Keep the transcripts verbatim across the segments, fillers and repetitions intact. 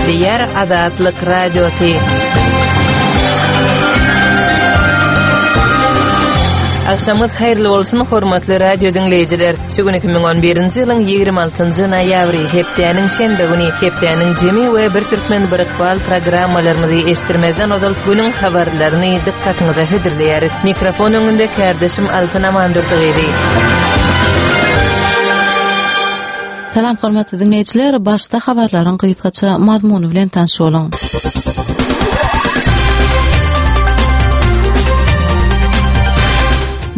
Gepleýär Azatlyk Radiosy. Agşamyňyz haýyrly bolsun, hormatly radio diňleýjiler. Şu gün iki müň on birinji ýylyň ýigrimi altynjy noýabry, hepdäniň şenbe güni, hepdäniň jemi we Bir Türkmen bir ykbal programmalarymyzy eşitdirmezden ozal günüň habarlaryny dykgatyňyza hödürleýäris. Mikrofon öňünde kärdeşim Altyn Amandurdy gyzy. Salam hormatly diňleýjiler, başda habarlaryň gysgaça mazmuny bilen tanyş boluň.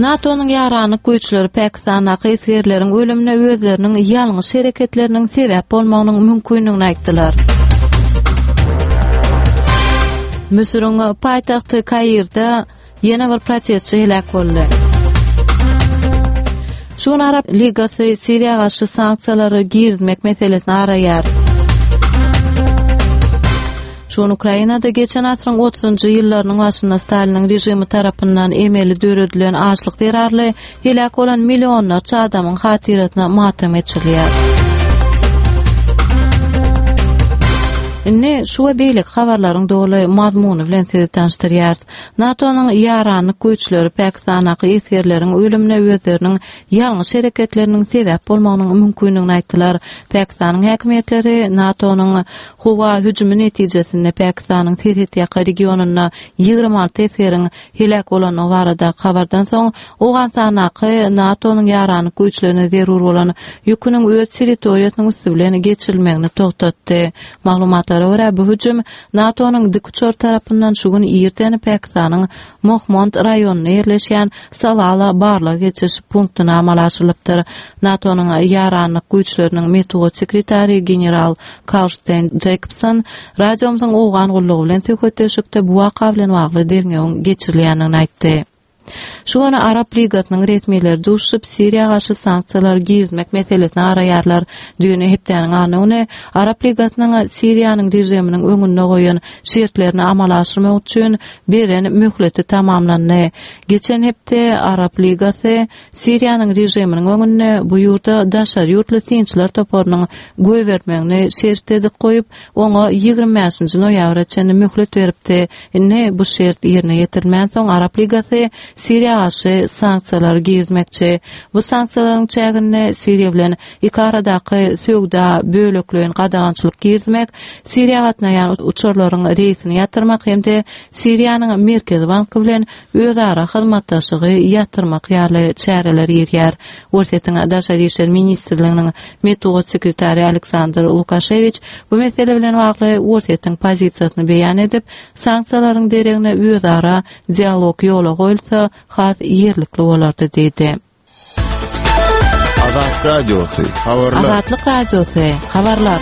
NATO-nyň ýaranlyk güýçleri Pakistandaky esgerleriň ölümine özleriniň ýalňyş hereketleriniň sebäp bolmagynyň mümkindigini aýtdylar. Müsüriň paýtagty Kairde ýene bir protestçi heläk boldy. Şu gün Arap Ligasy Siriýa garşy sanksiýalary girizmek meselesini araýar. Şu gün Ukrainada geçen asyryň otuzynjy ýyllarynyň başynda Staliniň režimi tarapyndan emeli döredilen açlyk zerarly heläk bolan millionlarça adamyň hatyrasyna matam geçirilýär. Indi şu we beýleki habarlaryň doly mazmuny bilen sizi tanyşdyrýarys. NATO-nyň ýaranlyk güýçleri Pakistandaky esgerleriň ölümine özleriniň ýalňyş hereketleriniň sebäp bolmagynyň mümkindigini aýtdylar. Pakistanyň häkimiýetleri NATO-nyň howa hüjümi netijesinde Pakistanyň serhetýaka regionynda ýigrimi alty esgeriň heläk bolandygy baradaky habardan soň Owganystandaky NATO-nyň ýaranlyk güýçlerine zerur bolan ýüküniň öz territoriýasynyň üsti bilen geçirilmegini togtatdy. Maglumatlara görä, bu hüjüm NATO-nyň dikuçar tarapyndan şu gün irden Pakistanyň Mohmand raýonynda ýerleşýän Salala barlag geçiriş punktuna amala aşyrylypdyr. NATO-nyň ýaranlyk güýçleriniň metbugat sekretary general Karlstein Jacobson radiomyzyň owgan gullugy bilen söhbetdeşlikde bu waka bilen bagly derňewiň geçirilýändigini aýtdy. Şu gün Arap Ligasynyň resmileri duşuşyp, Siriýa garşy sanksiýalary girizmek meselesini araýarlar. Düýn hepdäniň anna güni Arap Ligasynyň Siriýanyň režiminiň öňünde goýan şertlerini amala aşyrmak üçin beren möhleti tamamlandy. Geçen hepde Arap Ligasy Siriýanyň režiminiň öňünde bu ýurda daşary ýurtly synçylar toparynyň goýbermegini şert edip goýup, oňa ýigrimi bäşinji noýabra çenli möhlet beripdi. Indi bu şert ýerine ýetirilmänsoň, Arap Ligasy Siriýa garşy sanksiýalary girizmekçi. Bu sanksiýalaryň çäginde Siriýa bilen iki aradaky söwda bölekleýin gadagançylyk girizmek, Siriýa gatnaýan uçarlaryň reýsini ýatyrmak hem-de Siriýanyň Merkezi banky bilen özara hyzmatdaşlygy ýatyrmak ýaly çäreler girýär. Orsýetiň Daşary işler ministrliginiň metbugat sekretary Aleksandr Lukaşewiç bu mesele bilen bagly Orsýetiň pozisiýasyny beýan edip, sanksiýalaryň deregine özara dialog ýola goýulsa has ýerlikli bolardy diýdi. Azatlyk Radiosy, habarlar. Azatlyk Radiosy, habarlar.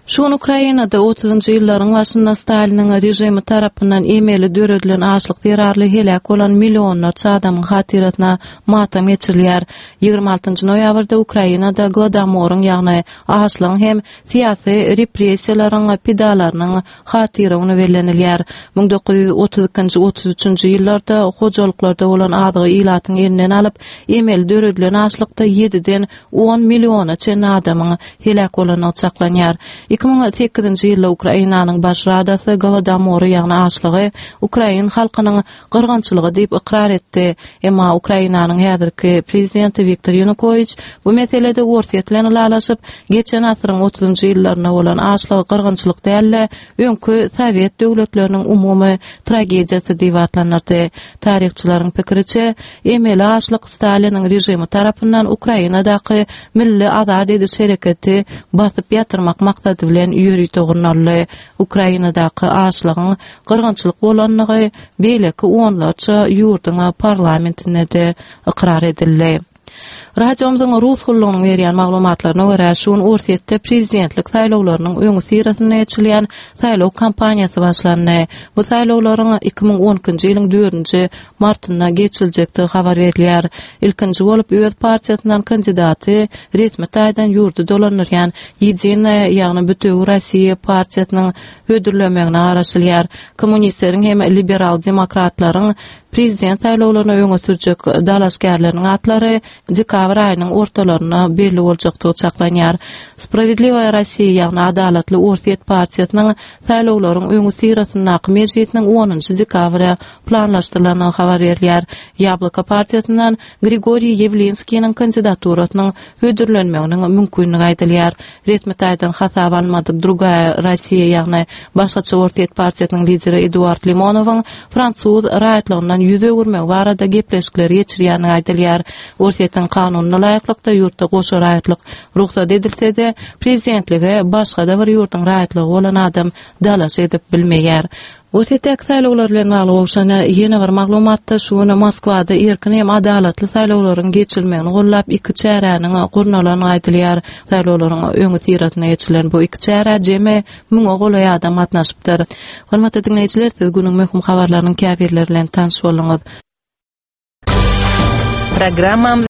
Şu gün Ukrainada otuzynjy ýyllaryň başynda Staliniň režimi tarapyndan emeli döredilen açlyk zerarly heläk bolan millionlarça adamyň hatyrasyna matam geçirilýär. Ýigrimi altynjy noýabrda Ukrainada Gladomoryň, ýagny açlygyň hem syýasy repressiýalaryň pidalarynyň hatyra güni bellenilýär. Müň dokuz ýüz otuz ikinji, otuz üçünji ýyllarda hojalyklarda bolan azygy ilatyň elinden alyp, emeli döredilen açlykda ýediden on milliona çenli adamyň heläk bolandygy çaklanýar. Iki müň sekizinji ýylda Ukrainanyň Baş Radasy Golodomory, ýagny açlygy ukrain halkynyň gyrgynçylygy diýip ykrar etdi. Emma Ukrainanyň häzirki prezidenti Wiktor Ýanukowiç bu meselede Orsýet bilen ylalaşyp, geçen asyryň otuzynjy ýyllarynda bolan açlygy gyrgynçylyk däl-de, öňki sowet döwletleriniň umumy tragediýasy diýip atlandyrdy. Taryhçylaryň pikiriçe, emeli açlyk Staliniň režimi tarapyndan Ukrainadaky milli azat ediş hereketi basyp ýatyrmak maksady bilen ýörite gurnaldy. Ukrainadaky açlygyň gyrgynçylyk bolandygy beýleki onlarça ýurduň parlamentinde-de ykrar edildi. Radiomyzyň rus gullugynyň berýän maglumatlaryna görä, şu gün Orsýetde prezidentlik saýlawlarynyň öňüsyrasynda geçirilýän saýlaw kampaniýasy başlandy. Bu saýlawlaryň iki müň on ikinji ýylyň dördünji martynda geçiriljekdigi habar berilýär. Ilkinji bolup öz partiýasyndan kandidaty resmi taýdan ýurdy dolandyrýan Ýedinaýa, ýagny Bütewi Rossiýa partiýasynyň hödürlemegine garaşylýar. Kommunistleriň hem liberal-demokratlaryň prezident saýlawlaryna öňe sürjek dalaşgärleriniň atlary dekabr aýynyň ortalarynda belli boljakdygy çaklanýar. Spravedliwaya Rossiýa, ýagny Adalatly Orsýet partiýasynyň saýlawlaryň öňi syrasyndaky mejlisiniň onunjy dekabra planlaşdyrylandygy habar berilýär. Ýabloko partiýasyndan Grigoriý Ýewlinskiniň kandidaturasynyň hödürlenmeginiň mümkinligi aýdylýar. Resmi taýdan hasap almadyk Drugaya Rossiýa, ýagny Başgaça Orsýet partiýasynyň lideri Eduard Limonowyň fransuz raýatlygyndan ýüz öwürmegi barada gepleşikleri geçirýändigi aýdylýar. Orsýetiň kanunyna laýyklykda ýurtda goşa raýatlyk rugsat edilse-de, prezidentlige başga-da bir ýurduň raýatlygy bolan adam dalaş edip bilmeýär. Orsýetdäki saýlawlar bilen bagly gowşan ýene bir maglumatda şu gün Moskwada erkin hem adalatly saýlawlaryň geçirilmegini gollap iki çäräniň gurnalandygy aýdylýar. Saýlawlaryň öňi syrasynda geçirilen bu iki çärä jemi müňe golaý adam gatnaşypdyr. Hormatly diňleýjiler, siz günüň möhüm habarlarynyň käbirleri bilen tanyş bolduňyz. Programmamyz